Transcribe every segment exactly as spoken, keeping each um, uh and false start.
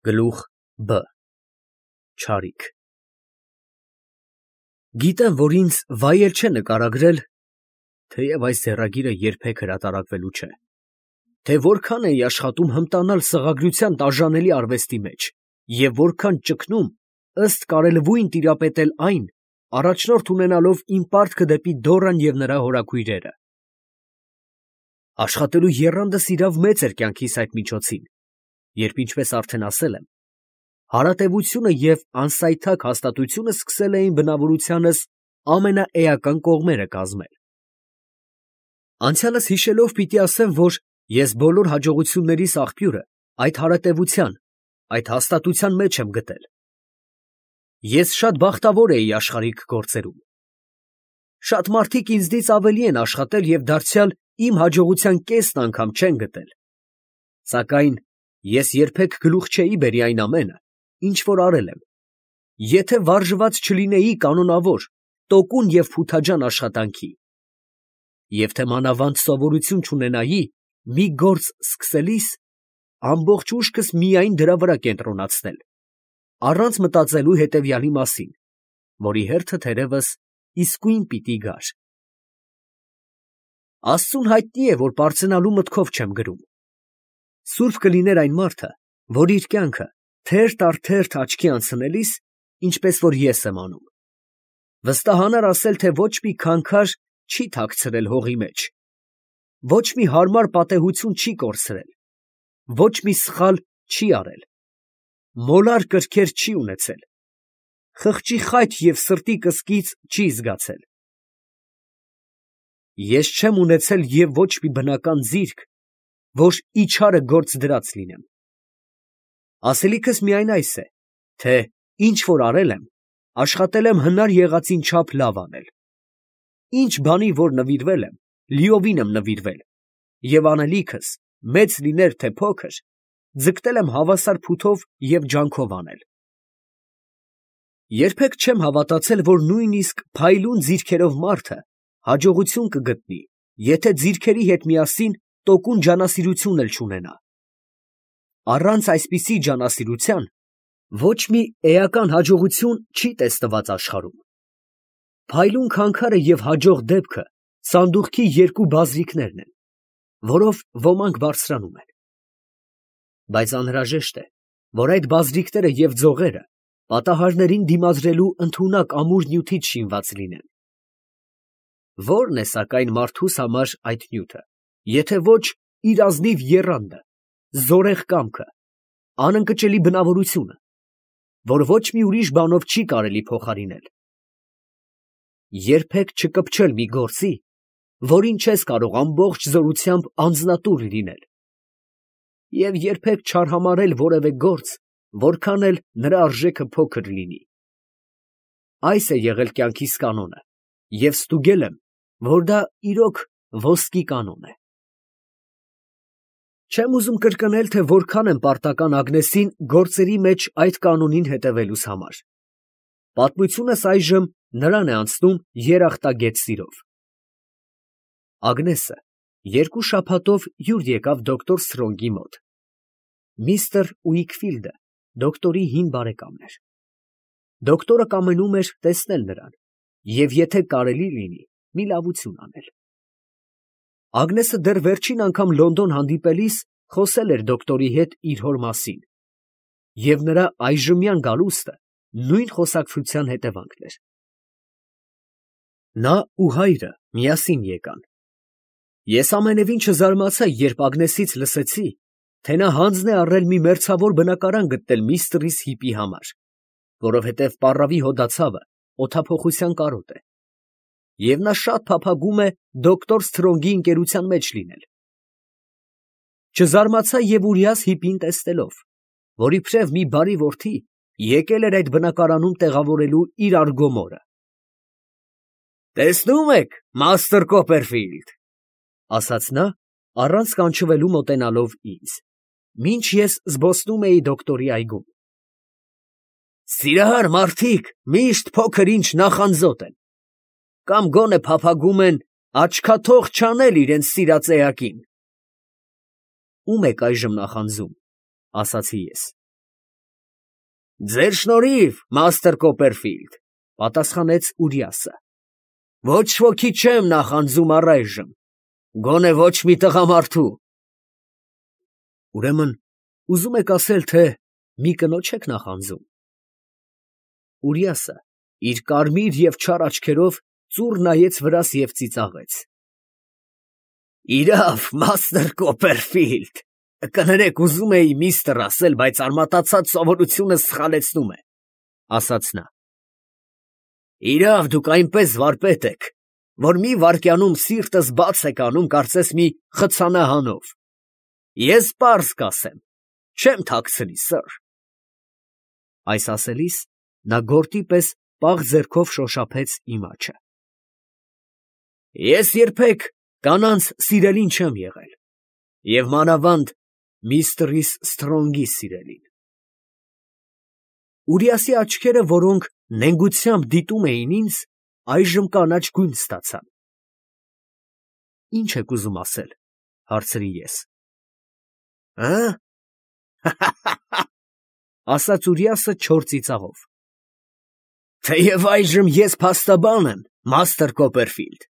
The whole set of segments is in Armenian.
Գլուխ Բ Չարիք Գիտեմ, որ ինձ վայել չէ նկարագրել, թեև այս ձեռագիրը երբեք հրատարակվելու չէ, թե որքան էի աշխատում հմտանալ սղագրության տաժանելի արվեստի մեջ և որքան ճգնում ըստ կարելվույն տիրապետել այն, առաջնորդ ունենալով իմ պարտքը դեպի Դոռան և նրա հորաքույրերը։ Աշխատելու եռանդս իրավ մեծ էր կյանքիս այդ միջոցին, երբ, ինչպես արդեն ասել եմ, հարատևությունը և անսայթակ հաստատությունը սկսել էին բնավորությանս ամենաէական կողմերը կազմել։ Անցյալս հիշելով պիտի ասեմ, որ ես բոլոր հաջողություններիս աղբյուրը այդ հարատևության, այդ հաստատության մեջ եմ գտել։ Ես շատ բախտավոր էի աշխարհիկ գործերում։ Շատ մարդիկ ինձնից ավելի են աշխատել և դարձյալ իմ հաջողության կեսն անգամ չեն գտել։ Սակայն ես երբեք գլուխ չէի բերի այն ամենը, ինչ որ արել եմ, եթե վարժված չլինեի կանոնավոր, տոկուն և փութաջան աշխատանքի, և թե մանավանդ սովորություն չունենայի մի գործ սկսելիս ամբողջ ուշքս միայն դրա վրա կենտրոնացնել, առանց մտածելու հետևյալի մասին, որի հերթը թերևս իսկույն պիտի գար։ Աստծուն հայտնի է, որ պարծենալու մտքով չեմ գրում։ Սուրբ կլիներ այն մարդը, որ իր կյանքը թերթ առ թերթ աչքի անցնելիս, ինչպես որ ես եմ անում, վստահանար ասել, թե ոչ մի քանքար չի թաքցրել հողի մեջ, ոչ մի հարմար պատեհություն չի կորցրել, ոչ մի սխալ չի արել, մոլար կրքեր չի ունեցել, խղճի խայթ և սրտի կսկիծ չի զգացել։ Ես չեմ ունեցել և ոչ մի բնական ձիրք, որ իչարը գործ դրած լինեմ։ Ասելիքս միայն այս է, թե ինչ որ արել եմ, աշխատել եմ հնար եղածին չափ լավ անել։ Ինչ բանի որ նվիրվել եմ, լիովին եմ նվիրվել, և անելիքս, մեծ լիներ թե փոքր, ձգտել եմ հավասար փութով և ջանքով անել։ Երբեք չեմ հավատացել, որ նույնիսկ փայլուն ձիրքերով մարդը հաջողություն կգտնի, եթե ձիրքերի հետ միասին տոկուն ջանասիրություն էլ չունենա։ Առանց այսպիսի ջանասիրության ոչ մի էական հաջողություն չի տեսնված աշխարհում։ Փայլուն քանքարը և հաջող դեպքը սանդուղքի երկու բազրիկներն են, որով ոմանք բարձրանում են։ Բայց անհրաժեշտ է, որ այդ բազրիկները և ձողերը պատահարներին դիմադրելու ընդունակ ամուր նյութից շինված լինեն։ Ո՞րն է, սակայն, մարդուս համար այդ նյութը, եթե ոչ իր ազնիվ եռանդը, զորեղ կամքը, անընկճելի բնավորությունը, որ ոչ մի ուրիշ բանով չի կարելի փոխարինել։ Երբեք չկպչել մի գործի, որին չես կարող ամբողջ զորությամբ անձնատուր լինել, և երբեք չարհամարհել որևէ գործ, որքան էլ նրա արժեքը փոքր լինի։ Այս է եղել կյանքիս կանոնը, և ստուգել եմ, որ դա իրոք ոսկի կանոն է։ Չեմ ուզում կրկնել, թե որքան եմ պարտական Ագնեսին գործերի մեջ այդ կանոնին հետևելուս համար։ Պատմությունս այժմ նրան է անցնում երախտագետ սիրով։ Ագնեսը երկու շաբաթով հյուր եկավ դոկտոր Սթրոնգի մոտ։ Միստր Ուիքֆիլդը դոկտորի հին բարեկամն էր։ Դոկտորը կամենում էր տեսնել նրան և, եթե կարելի լինի, մի լավություն անել։ Ագնեսը դեռ վերջին անգամ Լոնդոն հանդիպելիս խոսել էր դոկտորի հետ իր հոր մասին, և նրա այժմյան գալուստը նույն խոսակցության հետևանքն էր։ Նա ու հայրը միասին եկան։ Ես ամենևին չզարմացա, երբ Ագնեսից լսեցի, թե նա հանձն է առել մի մերձավոր բնակարան գտնել միստր Հիպի համար, որովհետև պառավի հոդացավը օդափոխության կարոտ է, և նա շատ փափագում է դոկտոր Սթրոնգի ընկերության մեջ լինել։ Չզարմացա և ուրյաս Հիպին տեսնելով, որ իբրև մի բարի որդի եկել էր այդ բնակարանում տեղավորելու իր արգո մորը։ «Տեսնում եք, մաստր Կոպերֆիլդ, ֊ ասաց նա, առանց կանչվելու մոտենալով ինձ, մինչ ես զբոսնում էի դոկտորի այգում, ֊ սիրահար մարդիկ միշտ փոքր ինչ նախանձոտ են, կամ գոնե փափագում են աչքաթող չանել իրենց սիրած էակին»։ ֊ Ո՞ւմ եք այժմ նախանձում, ֊ ասացի ես։ Ձեր շնորհիվ, մաստեր Կոպերֆիլդ, պատասխանեց Ուրիասը։ Ոչ ոքի չեմ նախանձում առայժմ, գոնե ոչ մի տղամարդու։ Ուրեմն, ուզում եք ասել, թե մի կնոջ եք նախանձում։ Ուրիասը իր կարմիր և չար աչքերով ծուռ նայեց վրաս և ծիծաղեց։ Իրավ, մաստեր Կոպերֆիլդ, կներեք, ուզում էի միստր ասել, բայց արմատացած սովորությունս սխալեցնում է, ասաց նա։ Իրավ, դուք այնպես վարպետ եք, որ մի վայրկյանում սիրտս բաց եք անում, կարծես մի խցանահանով։ Ես պարզ կասեմ, չեմ թաքցնի, սըր։ Այս ասելիս նա գորտի պես պաղ ձեռքով շոշափեց իմ աջը։ Ես երբեք կանանց սիրելին չեմ եղել, և մանավանդ միստր Սթրոնգի սիրելին։ Ուրիասի աչքերը, որոնք նենգությամբ դիտում էին ինձ, այժմ կանաչ գույն ստացան։ Ի՞նչ եք ուզում ասել, հարցրի ես։ Ա՞, ասաց Ուրիասը չոր ծիծաղով։ Թեև այժմ ես փաստաբան եմ, մաստեր Կոպերֆիլդ,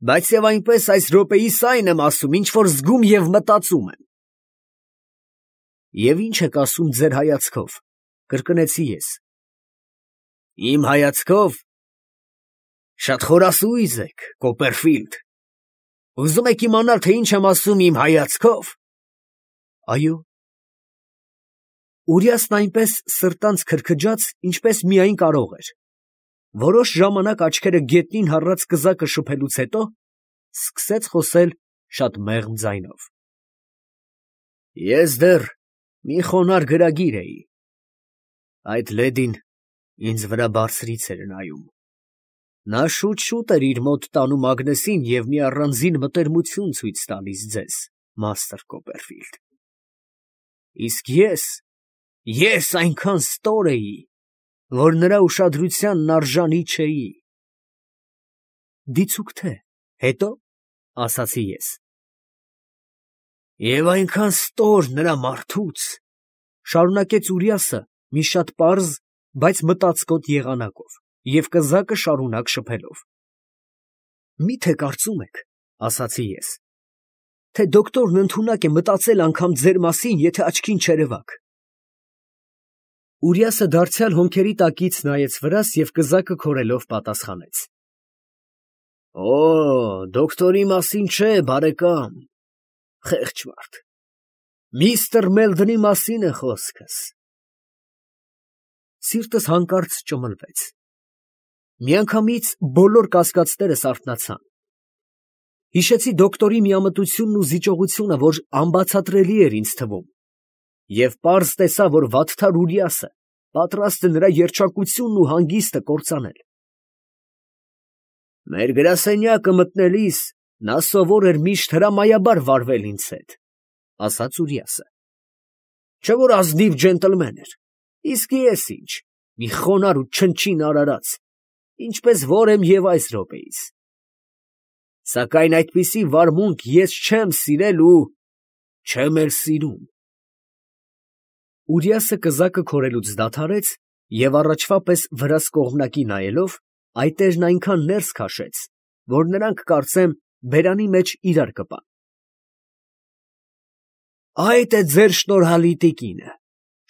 բայց և այնպես այս րոպեիս այն եմ ասում, ինչ որ զգում և մտածում եմ։ Եվ ի՞նչ եք ասում ձեր հայացքով, կրկնեցի ես։ Իմ հայացքով։ Շատ խորասուիզ եք, Կոպերֆիլդ։ Ուզում եք իմանալ, թե ինչ եմ ասում իմ հայացքով։ Այո։ Ուրիասն այնպես սրտանց քրքջաց, ինչպես միայն կարող էր։ Որոշ ժամանակ աչքերը գետնին հառած կզակը շփելուց հետո սկսեց խոսել շատ մեղմ ձայնով։ Ես դեռ մի խոնարհ գրագիր էի։ Այդ լեդին ինձ վրա բարձրից էր նայում։ Նա շուտ֊շուտ էր իր մոտ տանում Ագնեսին և մի առանձին մտերմություն ցույց տալիս ձեզ, մաստեր Կոպերֆիլդ։ Իսկ ես, ես այնքան ստոր էի, որ նրա ուշադրությանն արժանի չէի։ Դիցուք թե, հետո, ասացի ես։ Եվ այնքան ստոր նրա մարդուց, շարունակեց Ուրիասը մի շատ պարզ, բայց մտածկոտ եղանակով և կզակը շարունակ շփելով։ Մի՞թե կարծում եք, ասացի ես, թե դոկտորն ընդունակ է մտածել անգամ ձեր մասին, եթե աչքին չերևաք։ Ուրիասը դարձյալ հոնքերի տակից նայեց վրաս և կզակը քորելով պատասխանեց. Օ, դոկտորի մասին չէ, բարեկամ, խեղճ մարդ, միստր Մելդոնի մասին է խոսքս։ Սիրտս հանկարծ ճմլվեց։ Միանգամից բոլոր կասկածներս արթնացան։ Հիշեցի դոկտորի միամտությունն ու զիջողությունը, որ անբացատրելի էր ինձ թվում, և պարզ տեսա, որ վատթար Ուրիասը պատրաստ է նրա երջանկությունն ու հանգիստը կործանել։ Մեր գրասենյակը մտնելիս նա սովոր էր միշտ հրամայաբար վարվել ինձ հետ, ասաց Ուրիասը։ Չէ՞ որ ազնիվ ջենտլմեն էր, իսկ ես ինչ, մի խոնարհ ու չնչին արարած, ինչպես որ եմ և այս րոպեիս։ Սակայն այդպիսի վարմունք ես չեմ սիրել ու չեմ էլ սիրում։ Ուրիասը կզակը քորելուց դադարեց և առաջվա պես վրաս կողմնակի նայելով, այտերն այնքան ներս քաշեց, որ նրանք, կարծեմ, բերանի մեջ իրար կպան։ Այդ է ձեր շնորհալի տիկինը,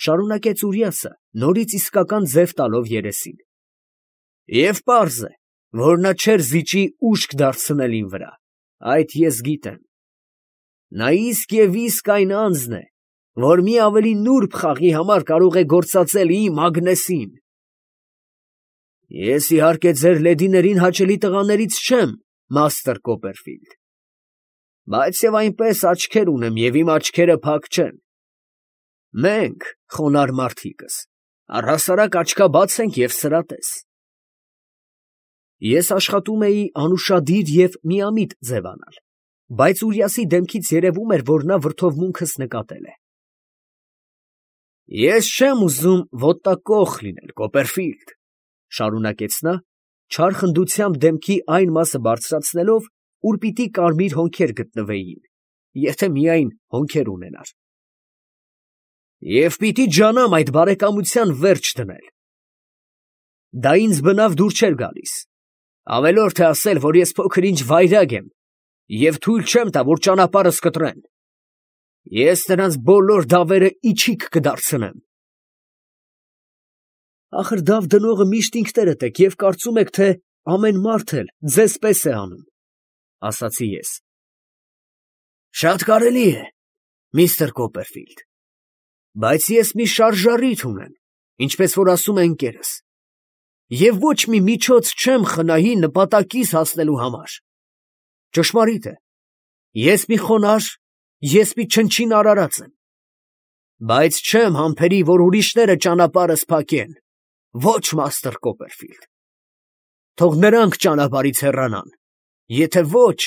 շարունակեց Ուրիասը, նորից իսկական ձև տալով երեսին։ Եվ պարզ է, որ նա չէր զիջի ուշք դարձնել իմ վրա, այդ ես գիտեմ։ Նա իսկ և իսկ այն անձն է, որ մի ավելի նուրբ խաղի համար կարող է գործածել իմ Ագնեսին։ Ես իհարկե ձեր լեդիներին հաճելի տղաներից չեմ, մաստեր Կոպերֆիլդ, բայց և այնպես աչքեր ունեմ, և իմ աչքերը փակ չեն։ Մենք, խոնարհ մարդիկս, առհասարակ աչքաբաց ենք և սրատես։ Ես աշխատում էի անուշադիր և միամիտ ձևանալ, բայց Ուրիասի դեմքից երևում էր, որ նա վրդովմունքս նկատել է։ Ես չեմ ուզում ոտակոխ լինել, Կոպերֆիլդ, շարունակեց նա, չար խնդությամբ դեմքի այն մասը բարձրացնելով, ուր պիտի կարմիր հոնքեր գտնվեին, եթե միայն հոնքեր ունենար։ Եվ պիտի ջանամ այդ բարեկամության վերջ դնել։ Դա ինձ բնավ դուր չէր գալիս։ Ավելորդ է ասել, որ ես փոքր-ինչ վայրագ եմ և թույլ չեմ տա, որ ճանապարհս կտրեն։ Ես նրանց բոլոր դավերը իչիք կդարձնեմ։ Ախր դավ դնողը միշտ ինքներդ եք և կարծում եք, թե ամեն մարդ էլ ձեզ պես է անում, ասացի ես։ Շատ կարելի է, միստր Կոպերֆիլդ, բայց ես մի շարժառիթ ունեմ, ինչպես որ ասում է ընկերս, և ոչ մի միջոց չեմ խնայի նպատակիս հասնելու համար։ Ճշմարիտ է, ես մի խոնարհ, ես մի չնչին արարած եմ, բայց չեմ համբերի, որ ուրիշները ճանապարհս փակեն, ոչ մաստր Կոպերֆիլդ։ Թող նրանք ճանապարհից հեռանան, եթե ոչ,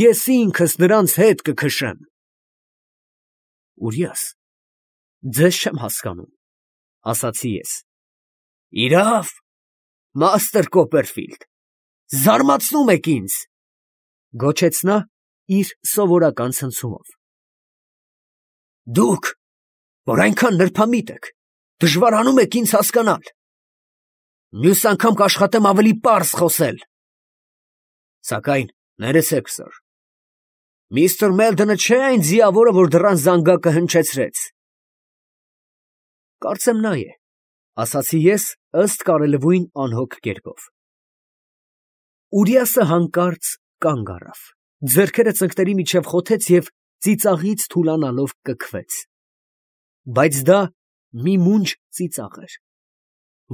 ես ինքս նրանց հետ կքշեմ։ Ուրիաս, ձեզ չեմ հասկանում, ասացի ես։ Իրավ, մաստր Կոպերֆիլդ, զարմացնում եք ինձ, գոչեց նա իր սովորական ցնցումով։ Դուք, որ այնքան նրբամիտ եք, դժվարանում եք ինձ հասկանալ։ Մյուս անգամ կաշխատեմ ավելի պարզ խոսել։ Սակայն ներեցեք, սըր, միստր Մելդոնը չէ այն ձիավորը, որ դռան զանգակը հնչեցրեց։ Կարծեմ նա է, ասացի ես ըստ կարելույն անհոգ կերպով։ Ուրիասը հանկարծ կանգ առավ, ձեռքերը ծնկների միջև խոթեց և ծիծաղից թուլանալով կքվեց։ Բայց դա մի մունջ ծիծաղ էր,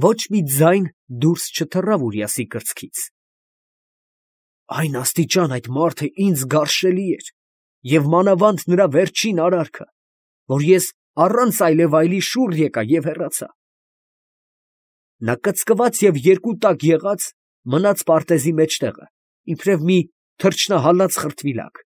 ոչ մի ձայն դուրս չթռավ Ուրիասի կրծքից։ Այն աստիճան այդ մարդը ինձ գարշելի էր, և մանավանդ նրա վերջին արարքը, որ ես առանց այլևայլի շուռ եկա և հեռացա։ Նա կծկված և երկու տակ եղած մնաց պարտեզի մեջտեղը, իբրև մի թռչնահալած խրտվիլակ։